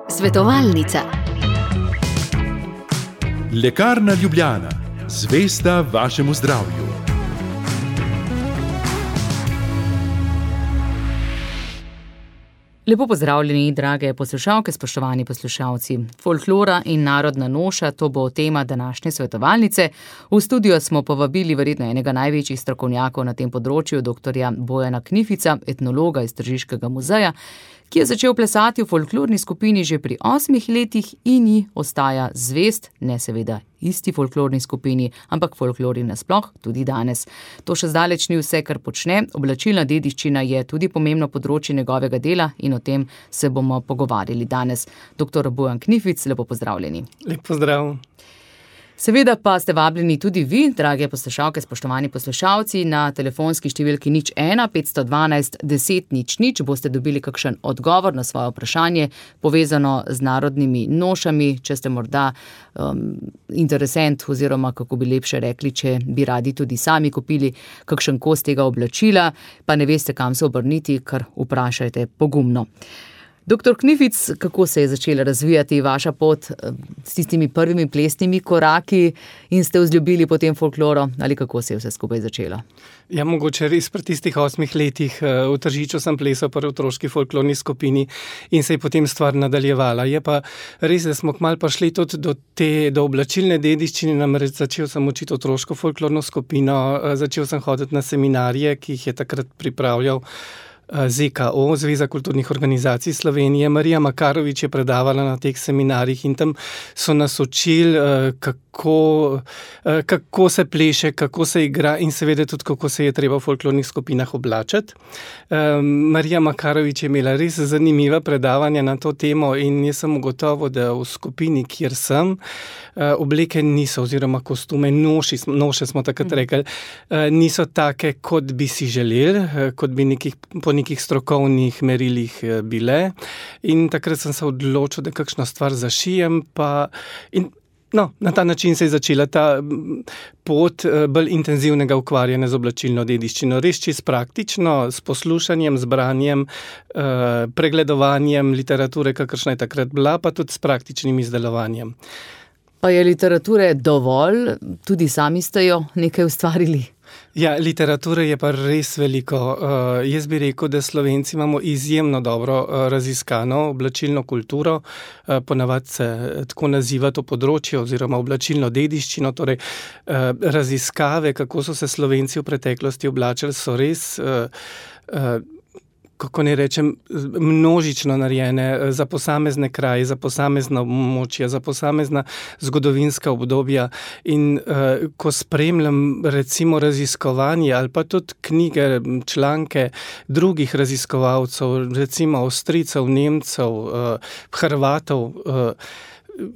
Svetovalnica. Lekarna Ljubljana, zvesta vašemu zdravju. Lepo pozdravljeni, drage poslušalke, spoštovani poslušalci. Folklora in narodna noša, to bo tema današnje svetovalnice. V studio smo povabili verjetno enega največjih strokovnjakov na tem področju, doktorja Bojana Knifica, etnologa iz Tržiškega muzeja, ki je začel plesati v folklorni skupini že pri 8 letih in ji ostaja zvest, ne seveda isti folklorni skupini, ampak folklori nasploh tudi danes. To še zdaleč ni vse, kar počne. Oblačilna dediščina je tudi pomembno področje njegovega dela in o tem se bomo pogovarjali danes. Doktor Bojan Knific, lepo pozdravljeni. Lep pozdrav. Seveda pa ste vabljeni tudi vi, drage poslušalke, spoštovani poslušalci, na telefonski številki 01 512 10 00. Boste dobili kakšen odgovor na svoje vprašanje, povezano z narodnimi nošami, če ste morda interesent oziroma, kako bi lepše rekli, če bi radi tudi sami kupili kakšen kos tega oblačila, pa ne veste, kam se obrniti, kar vprašajte pogumno. Doktor Knific, kako se je začela razvijati vaša pot s tistimi prvimi plesnimi koraki in ste vzljubili potem folkloro, ali kako se je vse skupaj začelo? Ja, mogoče res pri tistih 8 letih v Tržiču sem plesal pri otroški folklorni skupini in se je potem stvar nadaljevala. Je pa res, da smo kmalu prišli tudi do oblačilne dediščine, namreč začel sem učiti otroško folklorno skupino, začel sem hoditi na seminarje, ki jih je takrat pripravljal ZKO, Zveza kulturnih organizacij Slovenije. Marija Makarovič je predavala na teh seminarjih in tam so nas učili, kako se pleše, kako se igra in seveda tudi, kako se je treba v folklornih skupinah oblačiti. Marija Makarovič je imela res zanimiva predavanja na to temo in jaz sem ugotovil, da v skupini, kjer sem, obleke niso, oziroma kostume, noše smo takrat rekli, niso take, kot bi si želeli, kot bi po nekih strokovnih merilih bile. In takrat sem se odločil, da kakšno stvar zašijem, na ta način se je začela ta pot bolj intenzivnega ukvarjanja z oblačilno dediščino. Res čisto praktično, s poslušanjem, z branjem, pregledovanjem literature, kakršna je takrat bila, pa tudi s praktičnim izdelovanjem. Pa je literature dovolj? Tudi sami ste jo nekaj ustvarili? Ja, literature je pa res veliko. Jaz bi rekel, da Slovenci imamo izjemno dobro raziskano oblačilno kulturo, ponavadi se tako naziva to področje oziroma oblačilno dediščino, torej raziskave, kako so se Slovenci v preteklosti oblačili, so res kako ne rečem, množično narejene za posamezne kraje, za posamezna območja, za posamezna zgodovinska obdobja. In ko spremljam recimo raziskovanje ali pa tudi knjige, članke drugih raziskovalcev, recimo Avstrijcev, Nemcev, Hrvatov,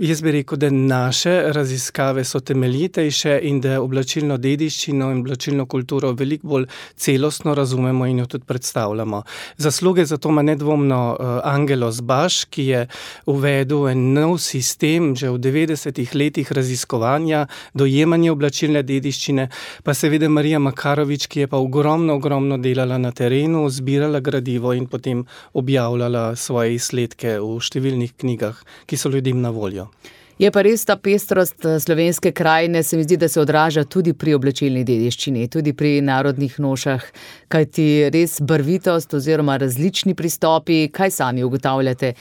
jaz bi rekel, da naše raziskave so temeljitejše in da oblačilno dediščino in oblačilno kulturo veliko bolj celostno razumemo in jo tudi predstavljamo. Zasluge za to ima nedvomno Angelo Zbaš, ki je uvedel en nov sistem že v 90-ih letih raziskovanja, dojemanja oblačilne dediščine, pa seveda Marija Makarovič, ki je pa ogromno delala na terenu, zbirala gradivo in potem objavljala svoje izsledke v številnih knjigah, ki so ljudem na voljo. Je pa res ta pestrost slovenske krajine, se mi zdi, da se odraža tudi pri oblačilni dediščini, tudi pri narodnih nošah, kajti res barvitost oziroma različni pristopi, kaj sami ugotavljate,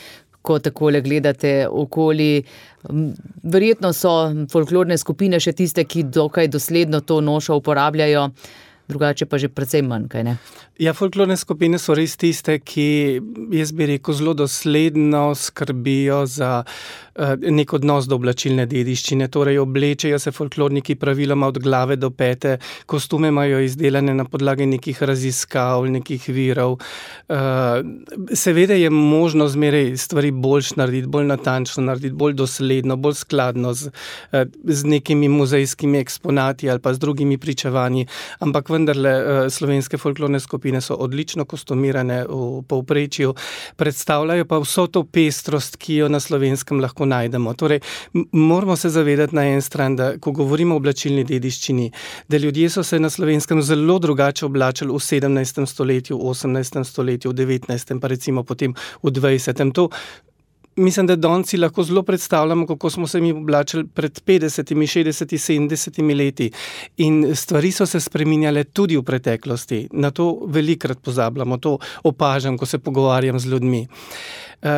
ko takole gledate okoli. Verjetno so folklorne skupine še tiste, ki dokaj dosledno to nošo uporabljajo, drugače pa že precej manj, kaj ne? Ja, folklorne skupine so res tiste, ki, jaz bi rekel, zelo dosledno skrbijo za nek odnos do oblačilne dediščine. Torej, oblečejo se folklorniki praviloma od glave do pete, kostume imajo izdelane na podlagi nekih raziskav, nekih virov. Seveda je možno zmeraj stvari boljš narediti, bolj natančno narediti, bolj dosledno, bolj skladno z nekimi muzejskimi eksponati ali pa z drugimi pričevanji, ampak vendarle slovenske folklorne skupine so odlično kostumirane v povprečju, predstavljajo pa vso to pestrost, ki jo na Slovenskem lahko najdemo. Torej, moramo se zavedati na en stran, da ko govorimo o oblačilni dediščini, da ljudje so se na Slovenskem zelo drugače oblačili v 17. stoletju, v 18. stoletju, v 19. pa recimo potem v 20. To mislim, da danes si lahko zelo predstavljamo, kako smo se mi oblačili pred 50, 60, 70 leti. In stvari so se spreminjale tudi v preteklosti. Na to velikokrat pozabljamo, to opažam, ko se pogovarjam z ljudmi.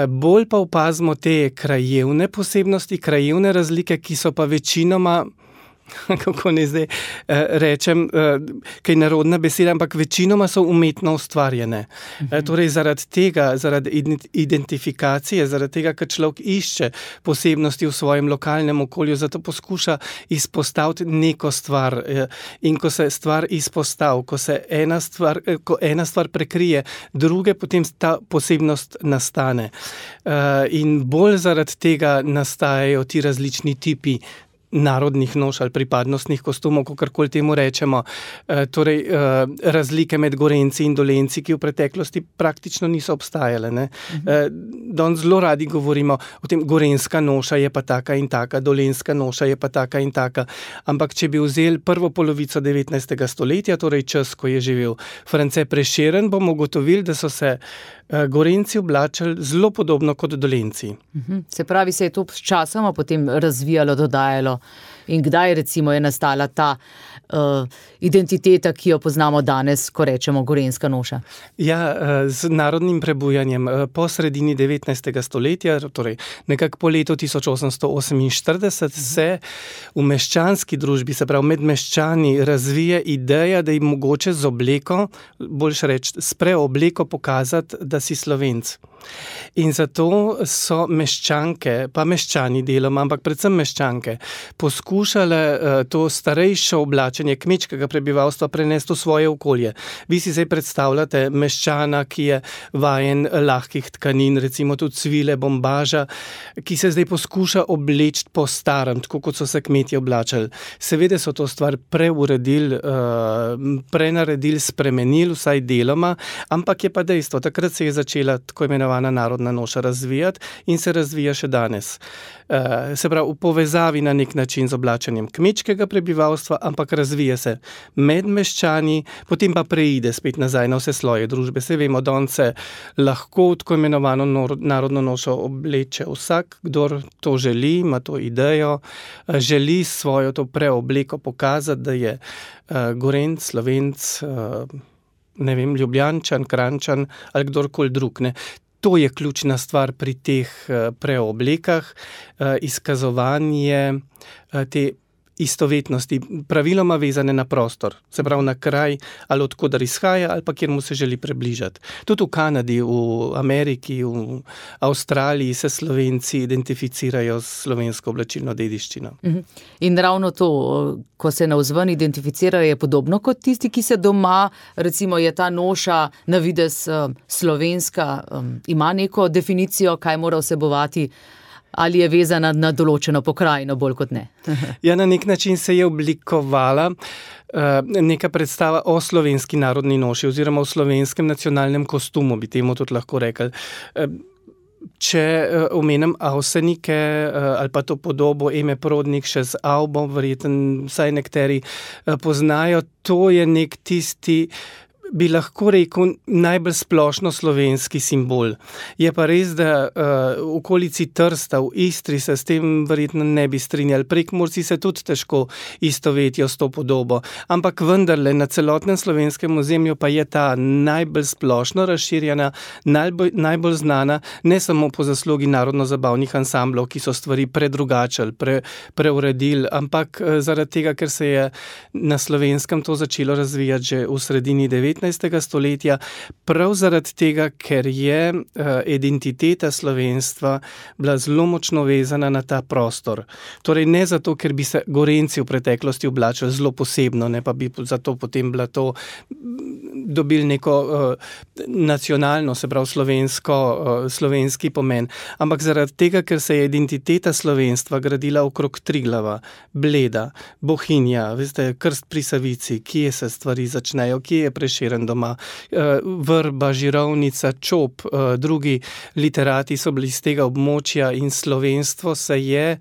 Bolj pa opazimo te krajevne posebnosti, krajevne razlike, ki so pa večinoma, kako ne zdaj rečem, kaj narodna beseda, ampak večinoma so umetno ustvarjene. Torej zaradi tega, zaradi identifikacije, zaradi tega, ker človek išče posebnosti v svojem lokalnem okolju, zato poskuša izpostaviti neko stvar. In ko se stvar izpostavi, ko ena stvar prekrije druge, potem ta posebnost nastane. In bolj zaradi tega nastajajo ti različni tipi narodnih noš ali pripadnostnih kostumov, kakorkoli temu rečemo. Torej, razlike med Gorenci in Dolenci, ki v preteklosti praktično niso obstajale. Ne? Danes zelo radi govorimo o tem, gorenska noša je pa taka in taka, dolenska noša je pa taka in taka. Ampak če bi vzeli prvo polovico 19. stoletja, torej čas, ko je živel France Prešeren, bomo ugotovili, da so se Gorenci oblačili zelo podobno kot Dolenci. Se pravi, se je to s časoma potem razvijalo, dodajalo in kdaj recimo je nastala ta identiteta, ki jo poznamo danes, ko rečemo gorenska noša? Ja, z narodnim prebujanjem po sredini 19. stoletja, torej nekako po letu 1848 se v meščanski družbi, se pravi med meščani, razvije ideja, da je mogoče z obleko, boljše reči, s preobleko pokazati, da si Slovenc. In zato so meščanke, pa meščani deloma, ampak predvsem meščanke, poskušale to starejšo oblačenje kmečkega prebivalstva prenesti v svoje okolje. Vi si zdaj predstavljate meščana, ki je vajen lahkih tkanin, recimo tudi svile, bombaža, ki se zdaj poskuša obleči po starem, tako kot so se kmetje oblačili. Seveda so to stvar preuredili, prenaredili, spremenili, vsaj deloma, ampak je pa dejstvo, takrat se je začela tako imenovana narodna noša razvijati in se razvija še danes. Se pravi, v povezavi na nek način z oblačenjem kmečkega prebivalstva, ampak razvija se med meščani, potem pa preide spet nazaj na vse sloje družbe. Se vemo, danes se lahko tako imenovano narodno nošo obleče vsak, kdor to želi, ima to idejo, želi svojo to preobleko pokazati, da je Gorenc, Slovenc, ne vem, Ljubljančan, Kranjčan ali kdorkoli drug, ne. To je ključna stvar pri teh preoblekah, izkazovanje te istovetnosti, praviloma vezane na prostor, se pravi na kraj, ali od koder izhaja, ali pa kjer mu se želi približati. Tudi v Kanadi, v Ameriki, v Avstraliji se Slovenci identificirajo s slovensko oblačilno dediščino. In ravno to, ko se navzven identificirajo, je podobno kot tisti, ki se doma, recimo je ta noša na videz slovenska, ima neko definicijo, kaj mora vsebovati, ali je vezana na določeno pokrajino, bolj kot ne? Ja, na nek način se je oblikovala neka predstava o slovenski narodni noši oziroma o slovenskem nacionalnem kostumu, bi temu tudi lahko rekli. Če omenim Avsenike ali pa to podobo Eme Prodnik še z Avbo, verjetno vsaj nekateri poznajo, to je nek tisti, bi lahko rekel, najbolj splošno slovenski simbol. Je pa res, da v okolici Trsta, v Istri se s tem verjetno ne bi strinjali. Prekmurci se tudi težko istovetijo s to podobo. Ampak vendarle na celotnem slovenskem ozemlju pa je ta najbolj splošno razširjena, najbolj znana, ne samo po zaslugi narodno-zabavnih ansamblov, ki so stvari predrugačili, preuredili, ampak zaradi tega, ker se je na Slovenskem to začelo razvijati že v sredini 19. 19. stoletja, prav zaradi tega, ker je identiteta slovenstva bila zelo močno vezana na ta prostor. Torej ne zato, ker bi se Gorenci v preteklosti oblačili zelo posebno, ne pa bi zato potem bila to dobili neko nacionalno, se pravi slovenski pomen. Ampak zaradi tega, ker se je identiteta slovenstva gradila okrog Triglava, Bleda, Bohinja, veste, Krst pri Savici, kje se stvari začnejo, kje je Prešeren doma, Vrba, Žirovnica, Čop, drugi literati so bili iz tega območja in slovenstvo se je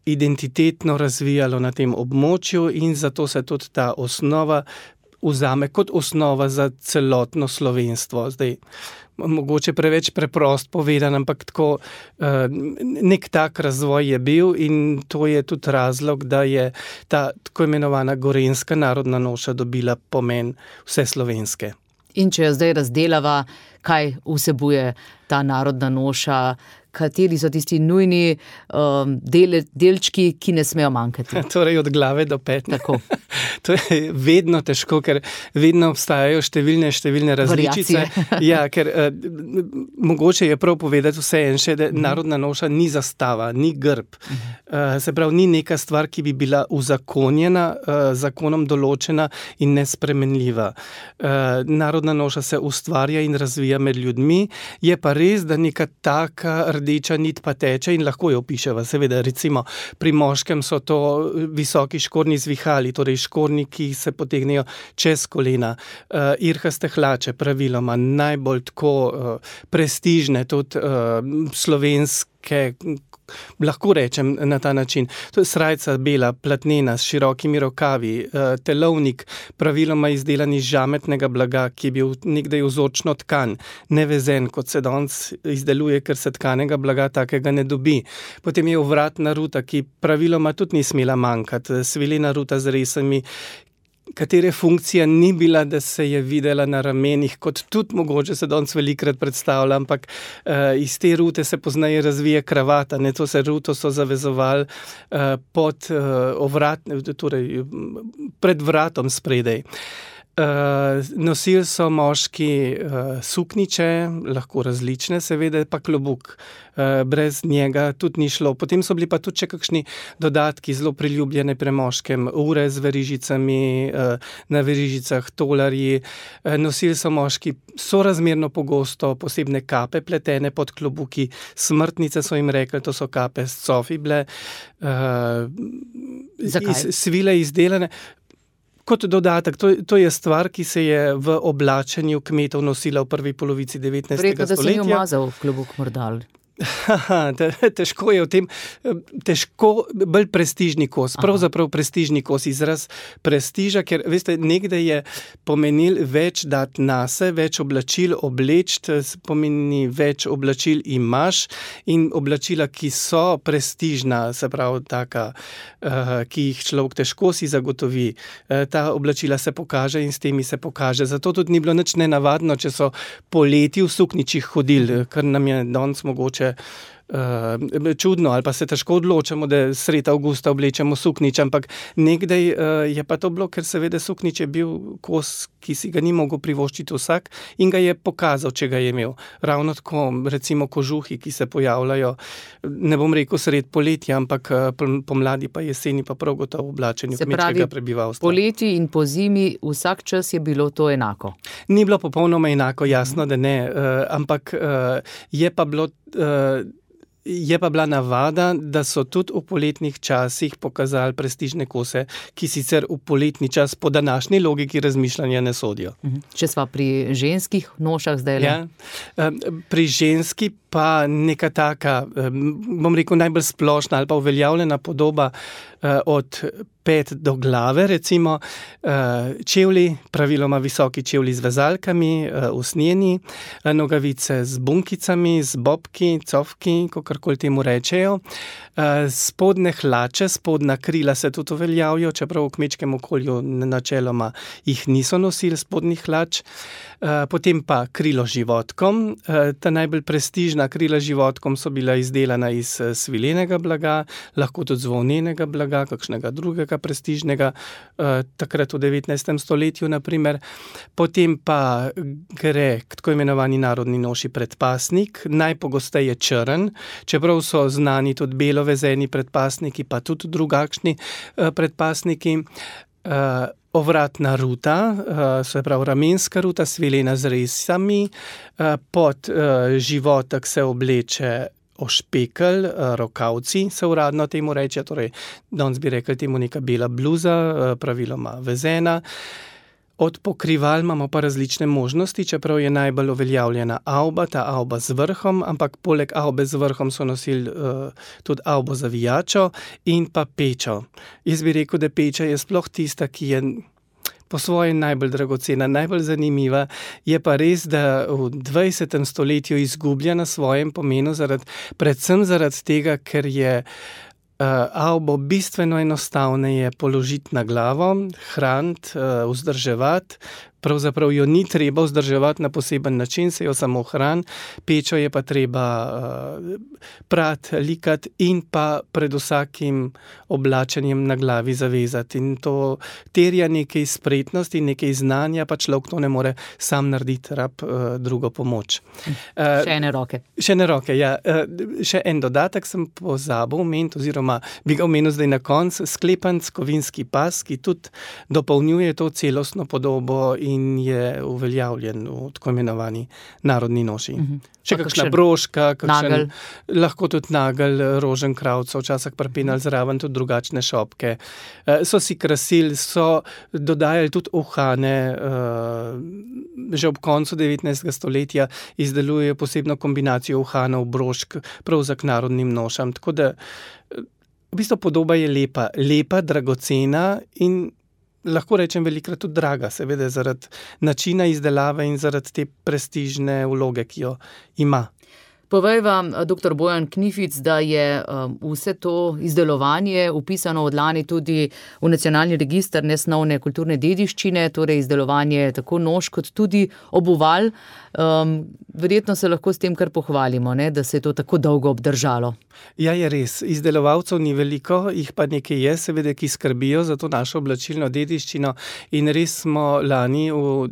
identitetno razvijalo na tem območju in zato se tudi ta osnova vzame kot osnova za celotno slovenstvo. Zdaj, mogoče preveč preprost povedan, ampak tako nek tak razvoj je bil in to je tudi razlog, da je ta tako imenovana gorenjska narodna noša dobila pomen vse slovenske. In če jo zdaj razdelava, kaj vsebuje ta narodna noša, kateri so tisti nujni delčki, ki ne smejo manjkati? Torej od glave do pet. Tako. To je vedno težko, ker vedno obstajajo številne različice. Ja, ker mogoče je prav povedati vseeno še, da narodna noša ni zastava, ni grb. Se pravi, ni neka stvar, ki bi bila uzakonjena, zakonom določena in nespremenljiva. Narodna noša se ustvarja in razvija med ljudmi, je pa res, da neka taka rdeča nit pa teče in lahko jo opiševa. Seveda, recimo, pri moškem so to visoki škornji zvihali, torej škornji, ki se potegnejo čez kolena. Irhaste hlače, praviloma, najbolj tako prestižne, tudi slovenske, lahko rečem na ta način. To je srajca bela, platnena, s širokimi rokavi, telovnik, praviloma izdelan iz žametnega blaga, ki je bil nekdaj vzorčno tkan, nevezen, kot se danes izdeluje, ker se tkanega blaga takega ne dobi. Potem je ovratna ruta, ki praviloma tudi ni smela manjkati, svilena ruta z resami, katere funkcija ni bila, da se je videla na ramenih, kot tudi mogoče se danes velikrat predstavlja, ampak iz te rute se pozneje razvije kravata, ne, to se ruto so zavezovali pod torej pred vratom spredaj. Nosili so moški sukniče, lahko različne, seveda pa klobuk. Brez njega tudi ni šlo. Potem so bili pa tudi še kakšni dodatki, zelo priljubljene pri moškem, ure z verižicami, na verižicah tolarji. Nosili so moški sorazmerno pogosto posebne kape pletene pod klobuki, smrtnice so jim rekli, to so kape s cofi bile. Svile izdelane. Kot dodatek, to je stvar, ki se je v oblačenju kmetov nosila v prvi polovici 19. stoletja. Verjetno, da se ni umazal klobuk morda. Težko je v tem, bolj prestižni kos, pravzaprav prestižni kos, izraz prestiža, ker veste, nekdaj je pomenil več dati nase, več oblačil obleči, pomeni več oblačil imaš in oblačila, ki so prestižna, se pravi taka, ki jih človek težko si zagotovi, ta oblačila se pokaže in s temi se pokaže. Zato tudi ni bilo nič nenavadno, če so poleti v sukničih hodili, kar nam je danes mogoče čudno, ali pa se težko odločamo, da sredi avgusta oblečemo suknič, ampak nekdaj je pa to bilo, ker seveda suknič je bil kos, ki si ga ni mogel privoščiti vsak in ga je pokazal, če ga je imel. Ravno tako, recimo kožuhi, ki se pojavljajo, ne bom rekel sredi poletja, ampak pomladi pa jeseni pa prav gotovo v oblačenju kmečkega prebivalstva. Poleti in po zimi vsak čas je bilo to enako? Ni bilo popolnoma enako, jasno, da ne, ampak je pa bila navada, da so tudi v poletnih časih pokazali prestižne kose, ki sicer v poletni čas po današnji logiki razmišljanja ne sodijo. Če sva pri ženskih nošah zdaj? Ja, pri ženski pa neka taka, bom rekel, najbolj splošna ali pa uveljavljena podoba od pet do glave, recimo čevlji, praviloma visoki čevlji z vezalkami, usnjeni, nogavice z bunkicami, z bobki, cofki, kakorkoli temu rečejo, spodne hlače, spodna krila se tudi uveljavijo, čeprav v kmečkem okolju načeloma jih niso nosili spodnjih hlač. Potem pa krilo životkom. Ta najbolj prestižna krila životkom so bila izdelana iz svilenega blaga, lahko tudi z volnenega blaga, kakšnega drugega prestižnega, takrat v 19. stoletju naprimer. Potem pa gre k tako imenovani narodni noši predpasnik, najpogosteje črn, čeprav so znani tudi belovezeni predpasniki, pa tudi drugačni predpasniki. Ovratna ruta, se pravi ramenska ruta, svilena z resami, pod životek se obleče ošpekelj, rokavci se uradno temu reče, torej danes bi rekli temu neka bela bluza, praviloma vezena. Od pokrival imamo pa različne možnosti, čeprav je najbolj uveljavljena avba, ta avba z vrhom, ampak poleg avbe z vrhom so nosili tudi avbo zavijačo in pa pečo. Jaz bi rekel, da peča je sploh tista, ki je po svoje najbolj dragocena, najbolj zanimiva. Je pa res, da v 20. stoletju izgublja na svojem pomenu, predvsem zaradi tega, ker je avbo bistveno enostavneje položiti na glavo, hraniti, vzdrževati. Pravzaprav jo ni treba vzdrževati na poseben način, se jo samo hrani. Pečo je pa treba prati, likati in pa pred vsakim oblačenjem na glavi zavezati. In to terja nekaj spretnosti, nekaj znanja, pa človek to ne more sam narediti, rab drugo pomoč. Še ene roke. Še ene roke, ja. Še en dodatek sem pozabil omeniti, oziroma bi ga omenil zdaj na koncu, sklepanc, kovinski pas, ki tudi dopolnjuje to celostno podobo in je uveljavljen v tako imenovani narodni noši. Še kakšna broška, lahko tudi nagelj, rožen kravco, včasih pripenjali zraven tudi drugačne šopke. So si krasili, so dodajali tudi uhane, že ob koncu 19. stoletja izdelujejo posebno kombinacijo uhanov, brošk, prav za k narodnim nošam. Tako da v bistvu podoba je lepa, dragocena in lahko rečem velikokrat tudi draga, seveda zaradi načina izdelave in zaradi te prestižne vloge, ki jo ima. Povej vam, dr. Bojan Knific, da je vse to izdelovanje vpisano od lani tudi v Nacionalni register nesnovne kulturne dediščine, torej izdelovanje tako noš kot tudi obuval. Verjetno se lahko s tem kar pohvalimo, ne, da se je to tako dolgo obdržalo. Ja, je res. Izdelovalcev ni veliko, jih pa nekaj je, seveda, ki skrbijo za to našo oblačilno dediščino in res smo lani v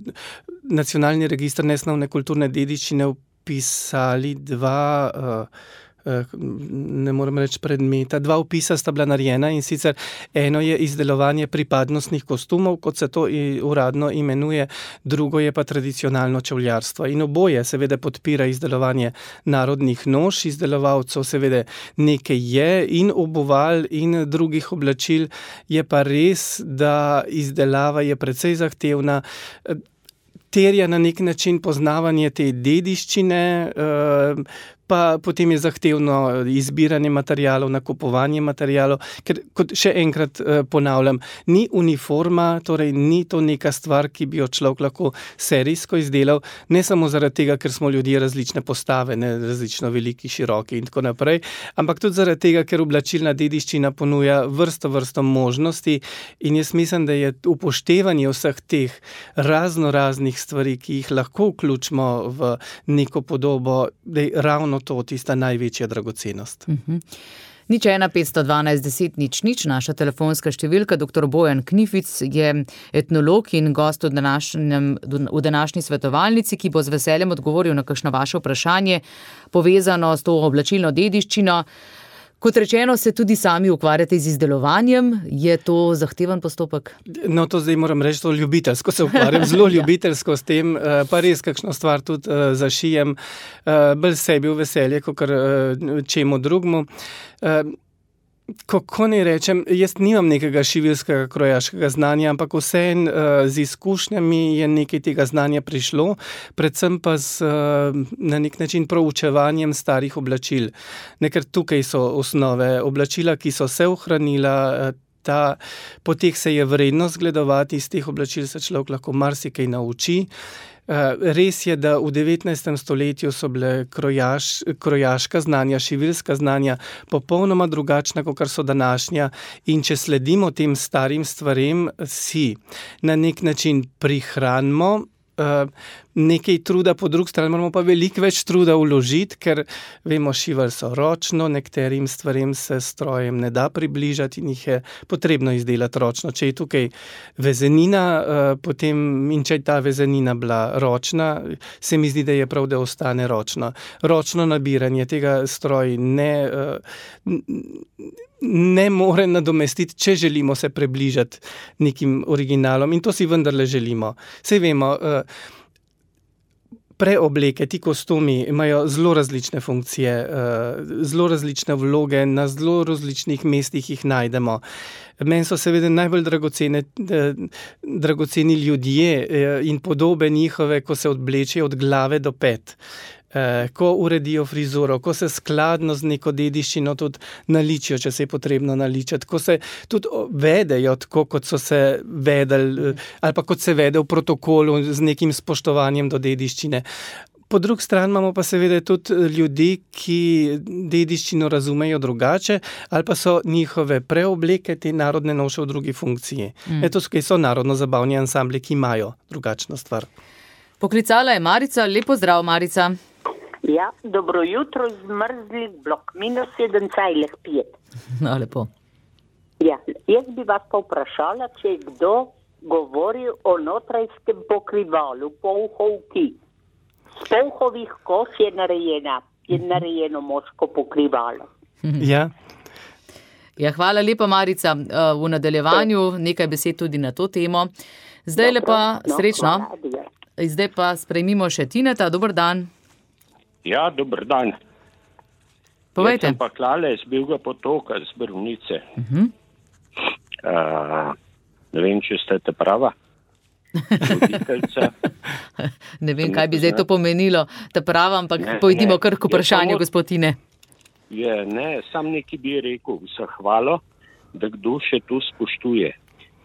Nacionalni register nesnovne kulturne dediščine pisali dva, ne morem reči predmeta, dva vpisa sta bila narejena in sicer eno je izdelovanje pripadnostnih kostumov, kot se to uradno imenuje, drugo je pa tradicionalno čevljarstvo. In oboje seveda podpira izdelovanje narodnih noš, izdelovalcev seveda nekaj je in obuval in drugih oblačil, je pa res, da izdelava je precej zahtevna, terja na nek način poznavanje te dediščine, pa potem je zahtevno izbiranje materialov, nakupovanje materialov, ker, kot še enkrat ponavljam, ni uniforma, torej ni to neka stvar, ki bi jo človek lahko serijsko izdelal, ne samo zaradi tega, ker smo ljudje različne postave, ne, različno veliki, široki in tako naprej, ampak tudi zaradi tega, ker oblačilna dediščina ponuja vrsto možnosti in jaz mislim, da je upoštevanje vseh teh raznoraznih stvari, ki jih lahko vključimo v neko podobo, da je ravno to tista največja dragocenost. 015121000, naša telefonska številka. Dr. Bojan Knific je etnolog in gost v današnji svetovalnici, ki bo z veseljem odgovoril na kakšno vaše vprašanje povezano s to oblačilno dediščino. Kot rečeno, se tudi sami ukvarjate z izdelovanjem. Je to zahteven postopek? No, to zdaj moram reči, to ljubiteljsko se ukvarjam, zelo ljubiteljsko s tem, pa res kakšno stvar tudi zašijem, bolj sebi v veselje, kakor čemu drugmu. Kako ne rečem, jaz nimam nekega šiviljskega krojaškega znanja, ampak vseeno z izkušnjami je nekaj tega znanja prišlo, predvsem pa na nek način proučevanjem starih oblačil. Ker tukaj so osnove oblačila, ki so se ohranila, po teh se je vredno zgledovati, iz teh oblačil se človek lahko marsikaj nauči. Res je, da v 19. stoletju so bile krojaška znanja, šiviljska znanja popolnoma drugačna, kot so današnja, in če sledimo tem starim stvarem, si na nek način prihranimo. nekaj truda, po drugi strani moramo pa veliko več truda vložiti, ker vemo, šivali so ročno, nekaterim stvarem se strojem ne da približati in jih je potrebno izdelati ročno. Če je tukaj vezenina, potem in če je ta vezenina bila ročna, se mi zdi, da je prav, da ostane ročno. Ročno nabiranje tega stroj ne more nadomestiti, če želimo se približati nekim originalom in to si vendarle želimo. Saj vemo, preobleke, ti kostumi imajo zelo različne funkcije, zelo različne vloge, na zelo različnih mestih jih najdemo. Meni so seveda najbolj dragoceni ljudje in podobe njihove, ko se odblečejo od glave do pet. Ko uredijo frizuro, ko se skladno z neko dediščino tudi naličijo, če se je potrebno naličati, ko se tudi vedejo tako, kot so se vedeli, ali pa kot se vede v protokolu z nekim spoštovanjem do dediščine. Po drugi strani imamo pa seveda tudi ljudi, ki dediščino razumejo drugače, ali pa so njihove preobleke, te narodne noše v drugi funkciji. To so narodno-zabavni ansambli, ki imajo drugačno stvar. Poklicala je Marica. Lep pozdrav, Marica. Ja, dobro jutro, zmrzli blok, -7,5. No, lepo. Ja, jaz bi vas pa vprašala, če je kdo govoril o notranjskem pokrivalu, polhovki. Z polhovih kož je narejeno moško pokrivalo. Ja. Ja, hvala lepa, Marica. V nadaljevanju nekaj besed tudi na to temo. Zdaj lepa srečno. Zdaj pa sprejmimo še Tineta. Dober dan. Ja, dober dan. Povejte. Jaz sem pa Klale iz Belega Potoka, z Brunice. Ne vem, če ste te prava. Ne vem, kaj bi zdaj to pomenilo, te prava, ampak pojdimo kar k vprašanju, gospod Tine. Sam nekaj bi rekel, zahvalo, da kdo še to spoštuje.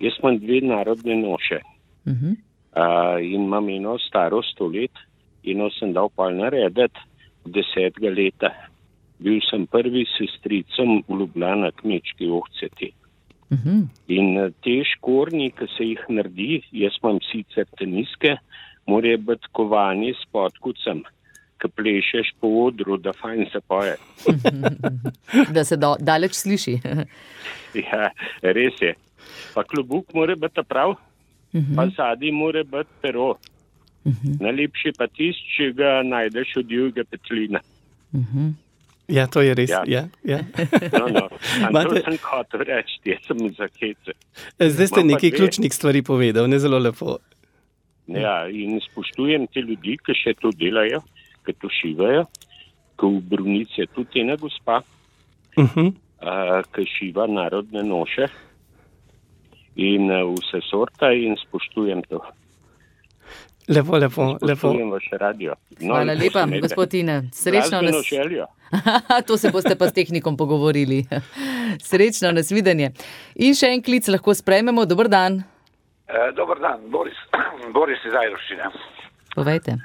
Jaz imam 2 narodne noše. In imam eno staro 100 let, eno sem dal pa narediti 10 leta. Bil sem prvi sestricom v Ljubljana kmečki ohceti. In te škornji, ki se jih naredi, jaz imam sicer teniske, morajo biti kovani s podkucem, ki plešeš po odru, da fajn se poje. Da se daleč sliši. Ja, res je. Pa klobuk mora biti prav, pa zadnji mora biti pero. Najlepši pa tisti, če ga najdeš od divjega petlina. Ja, to je res. Ja. No. To sem hotel reči, jaz sem za hece. Zdaj ste nekaj ključnih stvari povedal, ne zelo lepo. Ja, in spoštujem te ljudi, ki še to delajo, ki to šivajo, ki v Brunici je tudi ena gospa, ki šiva narodne noše in vse sorta in spoštujem to. Lepo. Spoštujem vaš radio. Hvala lepa, gospod Tine. Srečno nas... To se boste pa s tehnikom pogovorili. Srečno, nasvidenje. In še en klic lahko sprejmemo. Dober dan. Dober dan, Boris iz Ajdovščine. Povejte.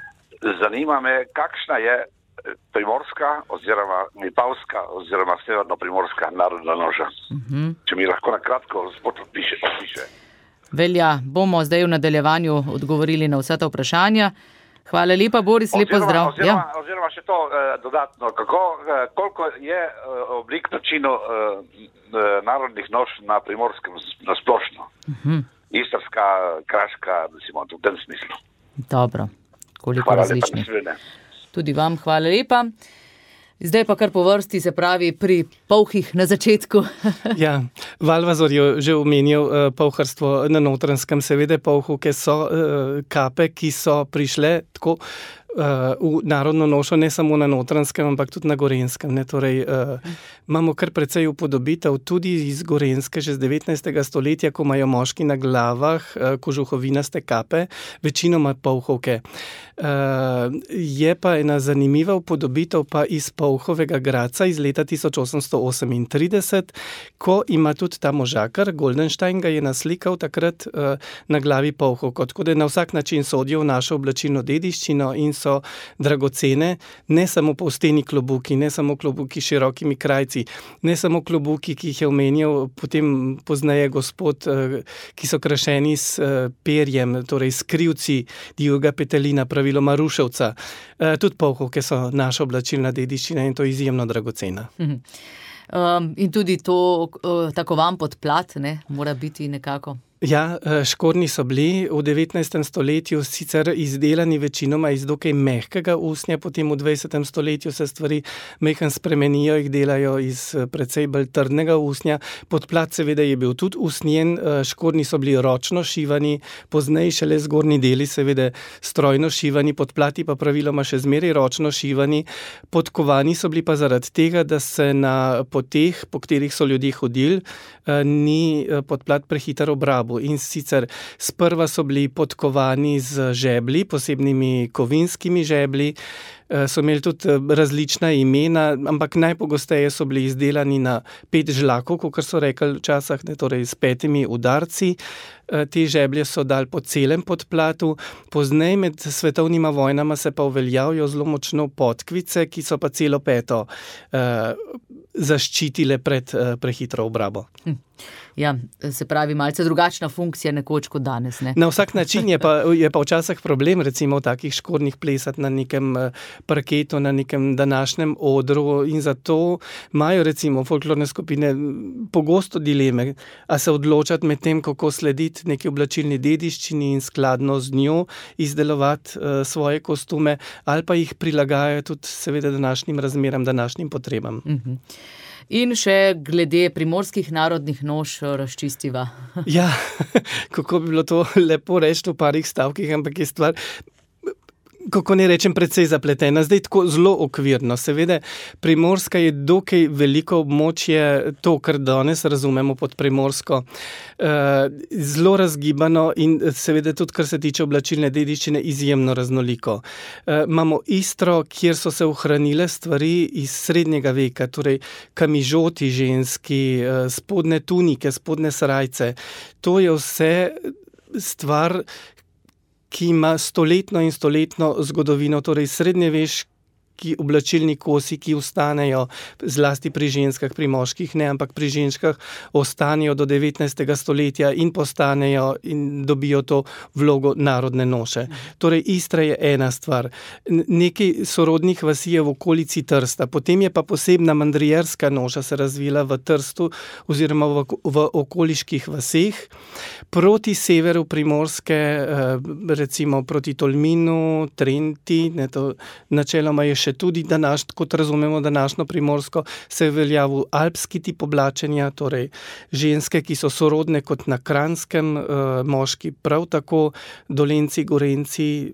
Zanima me, kakšna je primorska oziroma vipavska oziroma severno-primorska narodna noša. Če mi lahko na kratko spod opiše. Velja, bomo zdaj v nadaljevanju odgovorili na vsa ta vprašanja. Hvala lepa, Boris, lep pozdrav. Oziroma še to dodatno, koliko je oblik načinov narodnih noš na Primorskem na splošno? Istrska, kraška, recimo, v tem smislu. Dobro, koliko različnih. Tudi vam hvala lepa. Zdaj pa kar po vrsti, se pravi pri polhih na začetku. Ja, Valvazor je že omenil polharstvo na Notranjskem, seveda polhovke so kape, ki so prišle tako v narodno nošo, ne samo na Notranjskem, ampak tudi na Gorenjskem. Torej, imamo kar precej upodobitev tudi iz Gorenjske, že z 19. stoletja, ko imajo moški na glavah kožuhovinaste kape, večinoma polhovke. Je pa ena zanimiva upodobitev pa iz Polhovega Gradca iz leta 1838, ko ima tudi ta možakar, Goldenstein ga je naslikal takrat na glavi polhovko, tako da na vsak način sodijo v našo oblačilno dediščino in so dragocene, ne samo povsteni klobuki, ne samo klobuki s širokimi krajci, ne samo klobuki, ki jih je omenjal potem pozneje gospod, ki so krašeni s perjem, torej s krivci divjega petelina, praviloma ruševca. Tudi polhovke so naša oblačilna dediščina in to je izjemno dragocena. In tudi to, tako vam podplat, ne, mora biti nekako. Ja, škornji so bili v 19. stoletju sicer izdelani večinoma iz dokaj mehkega usnja, potem v 20. stoletju se stvari mehko spremenijo, jih delajo iz precej bolj trdnega usnja. Podplat seveda je bil tudi usnjen, škornji so bili ročno šivani, pozneje šele zgornji deli seveda strojno šivani, podplati pa praviloma še zmeraj ročno šivani. Podkovani so bili pa zaradi tega, da se na poteh, po katerih so ljudje hodili, ni podplat prehiter obrabo. In sicer sprva so bili podkovani z žebli, posebnimi kovinskimi žebli, so imeli tudi različna imena, ampak najpogosteje so bili izdelani na 5 žlakov, kakor so rekli včasih, torej s 5 udarci. Te žeblje so dali po celem podplatu, pozneje med svetovnima vojnama se pa uveljavijo zelo močno podkvice, ki so pa celo peto zaščitile pred prehitro obrabo. Ja, se pravi, malce drugačna funkcija nekoč kot danes, ne? Na vsak način je pa včasih problem, recimo v takih škornjih plesati na nekem parketu, na nekem današnjem odru in zato imajo recimo folklorne skupine pogosto dileme, a se odločati med tem, kako slediti neki oblačilni dediščini in skladno z njo izdelovati svoje kostume, ali pa jih prilagajajo tudi seveda današnjim razmeram, današnjim potrebam. In še glede primorskih narodnih noš razčistiva. Ja, kako bi bilo to lepo reči v parih stavkih, ampak je stvar, kako ne rečem, precej zapletena. Zdaj tako zelo okvirno. Seveda, Primorska je dokaj veliko območje, to, kar danes razumemo pod Primorsko, zelo razgibano in seveda tudi, kar se tiče oblačilne dediščine, izjemno raznoliko. Imamo Istro, kjer so se ohranile stvari iz srednjega veka, torej kamižoti ženski, spodne tunike, spodne srajce. To je vse stvar, ki ima stoletno in stoletno zgodovino, torej srednjeveški oblačilni kosi, ki ostanejo zlasti pri ženskah, pri moških ne, ampak pri ženskah ostanejo do 19. stoletja in postanejo in dobijo to vlogo narodne noše. Torej Istra je ena stvar. Nekaj sorodnih vasi je v okolici Trsta, potem je pa posebna mandrijerska noša se razvila v Trstu oziroma v okoliških vaseh. Proti severu Primorske, recimo proti Tolminu, Trenti, ne, to načeloma je še tudi kot razumemo današnjo Primorsko, se je veljavil alpski tip oblačenja, torej ženske, ki so sorodne kot na Kranjskem, moški prav tako, Dolenci, Gorenci,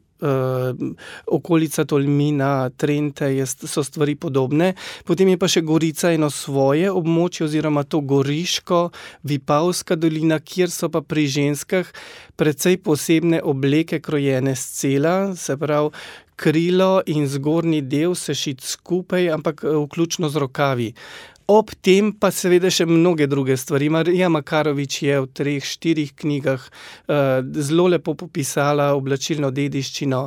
okolica Tolmina, Trente, so stvari podobne. Potem je pa še Gorica eno svoje območje oziroma to Goriško, Vipavska dolina, kjer so pa pri ženskah precej posebne obleke krojene s cela, se pravi krilo in zgornji del se šit skupaj, ampak vključno z rokavi. Ob tem pa seveda še mnoge druge stvari. Marija Makarovič je v 3-4 knjigah zelo lepo popisala oblačilno dediščino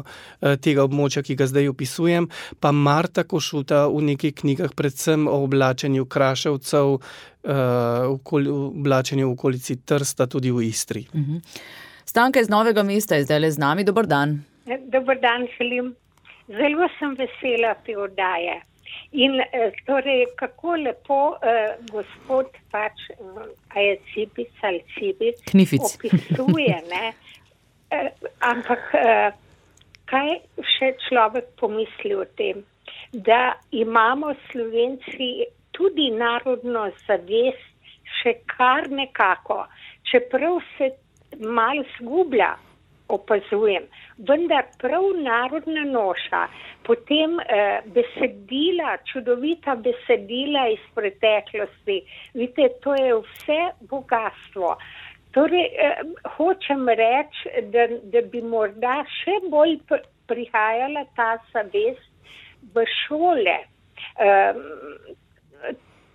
tega območja, ki ga zdaj opisujem, pa Marta Košuta v nekaj knjigah, predvsem o oblačenju Kraševcev, oblačenju v okolici Trsta, tudi v Istri. Stanka iz Novega mesta je zdaj z nami. Dober dan. Dober dan, želim. Zelo sem vesela te oddaje. In torej, kako lepo gospod pač, a je Cibic ali Cibic, Knific opisuje, ne? Ampak kaj še človek pomisli o tem, da imamo Slovenci tudi narodno zavest še kar nekako, čeprav se malo zgublja, opazujem, vendar prav narodna noša, potem besedila, čudovita besedila iz preteklosti, vidite, to je vse bogatstvo. Torej, hočem reči, da bi morda še bolj prihajala ta zavest v šole,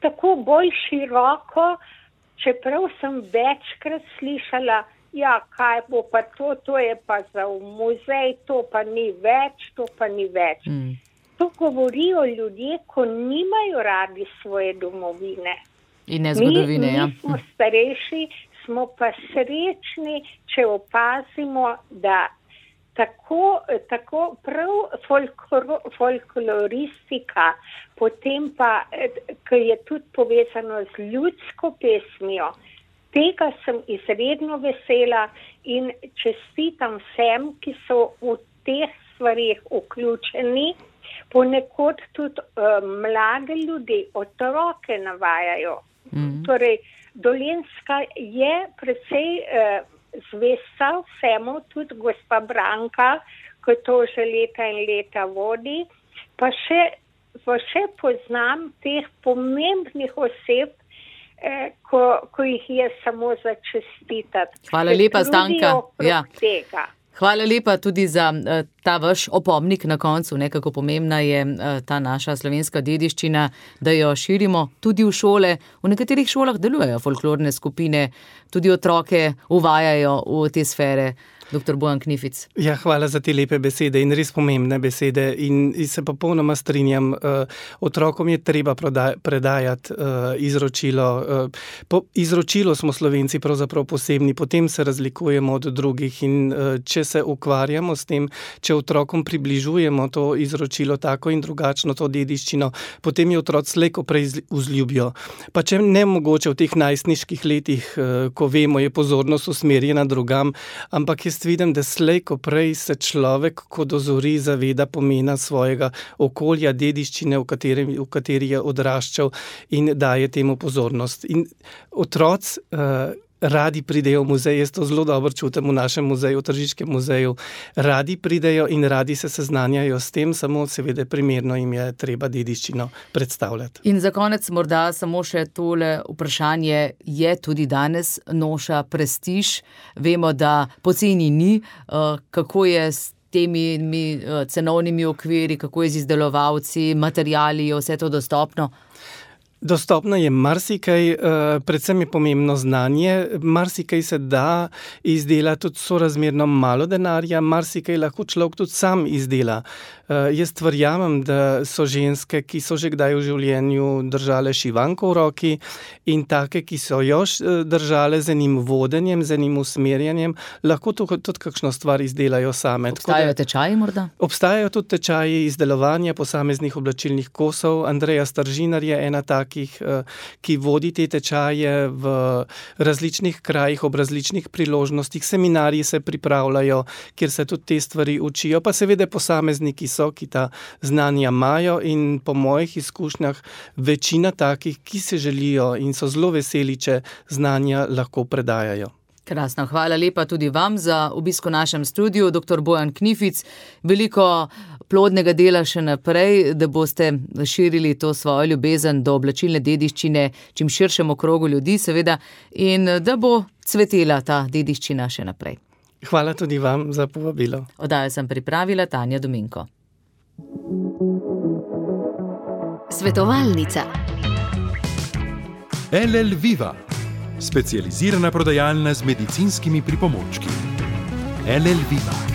tako bolj široko, čeprav sem večkrat slišala, ja, kaj bo pa to je pa za v muzej, to pa ni več. To govorijo ljudje, ko nimajo radi svoje domovine. In ne zgodovine, ja. Mi smo starejši, smo pa srečni, če opazimo, da tako prav folkloristika, potem pa, ki je tudi povezano z ljudsko pesmijo, tega sem izredno vesela in čestitam vsem, ki so v teh stvarih vključeni. Ponekod tudi mlade ljudi, otroke navajajo. Torej, Dolenjska je precej zvesta vsemu, tudi gospa Branka, ki to že leta in leta vodi, pa še poznam teh pomembnih oseb, ko jih je samo za čestitati. Hvala lepa, Stanka. Ja. Hvala lepa tudi za ta vaš opomnik na koncu, kako pomembna je ta naša slovenska dediščina, da jo širimo tudi v šole. V nekaterih šolah delujejo folklorne skupine, tudi otroke uvajajo v te sfere. Dr. Bojan Knific. Ja, hvala za te lepe besede in res pomembne besede in se popolnoma strinjam. Otrokom je treba predajati izročilo. Izročilo smo Slovenci pravzaprav posebni, potem se razlikujemo od drugih in če se ukvarjamo s tem, če otrokom približujemo to izročilo tako in drugačno, to dediščino, potem je otroci slej ko prej vzljubijo. Pa če ne mogoče v teh najstniških letih, ko vemo, je pozornost usmerjena drugam, ampak jaz vidim, da slej ko prej se človek, ko dozori, zaveda pomena svojega okolja, dediščine, v kateri je odraščal in daje temu pozornost. In otroci radi pridejo v muzej, jaz to zelo dobro čutim v našem muzeju, v Tržiškem muzeju. Radi pridejo in radi se seznanjajo s tem, samo seveda primerno jim je treba dediščino predstavljati. In za konec morda samo še tole vprašanje, je tudi danes noša prestiž? Vemo, da poceni ni, kako je s temi cenovnimi okviri, kako je z izdelovalci, materiali, je vse to dostopno? Dostopno je marsikaj, predvsem je pomembno znanje, marsikaj se da izdelati tudi sorazmerno malo denarja, marsikaj lahko človek tudi sam izdela. Jaz verjamem, da so ženske, ki so že kdaj v življenju držale šivanko v roki in take, ki so jo držale z enim vodenjem, z enim usmerjanjem, lahko tudi kakšno stvar izdelajo same. Obstajajo tečaji morda? Obstajajo tudi tečaji izdelovanja posameznih oblačilnih kosov. Andreja Staržinar je ena ki vodi te tečaje v različnih krajih, ob različnih priložnostih. Seminarji se pripravljajo, kjer se tudi te stvari učijo, pa seveda posamezniki so, ki ta znanja imajo in po mojih izkušnjah večina takih, ki se želijo in so zelo veseli, če znanja lahko predajajo. Krasno, hvala lepa tudi vam za obisk v našem studiu, dr. Bojan Knific. Veliko plodnega dela še naprej, da boste širili to svojo ljubezen do oblačilne dediščine čim širšemu krogu ljudi, seveda, in da bo cvetela ta dediščina še naprej. Hvala tudi vam za povabilo. Oddajo sem pripravila Tanja Dominko. Svetovalnica. LL Viva, specializirana prodajalna z medicinskimi pripomočki. LL Viva.